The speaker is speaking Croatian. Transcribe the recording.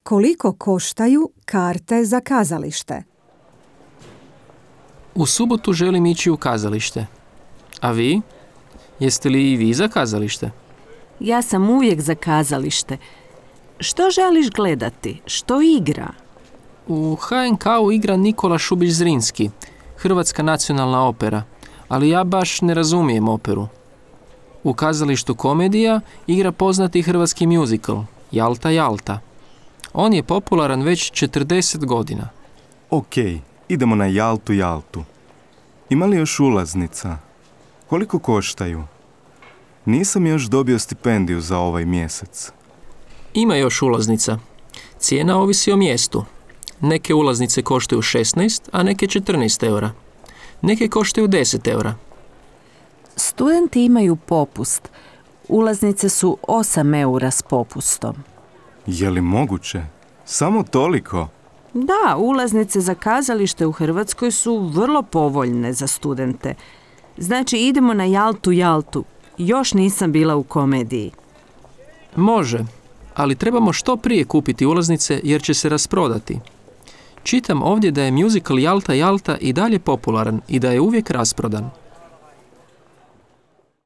Koliko koštaju karte za kazalište? U subotu želim ići u kazalište. A vi? Jeste li i vi za kazalište? Ja sam uvijek za kazalište. Što želiš gledati? Što igra? U HNK-u igra Nikola Šubić Zrinski, Hrvatska nacionalna opera, ali ja baš ne razumijem operu. U kazalištu Komedija igra poznati hrvatski muzikl, Jalta, Jalta. On je popularan već 40 godina. Ok, idemo na Jaltu, Jaltu. Ima li još ulaznica? Koliko koštaju? Nisam još dobio stipendiju za ovaj mjesec. Ima još ulaznica. Cijena ovisi o mjestu. Neke ulaznice koštaju 16, a neke 14 eura. Neke koštaju 10 eura. Studenti imaju popust. Ulaznice su 8 eura s popustom. Je li moguće? Samo toliko? Da, ulaznice za kazalište u Hrvatskoj su vrlo povoljne za studente. Znači, idemo na Jaltu, Jaltu. Još nisam bila u Komediji. Može, ali trebamo što prije kupiti ulaznice jer će se rasprodati. Čitam ovdje da je muzikal Jalta, Jalta i dalje popularan i da je uvijek rasprodan.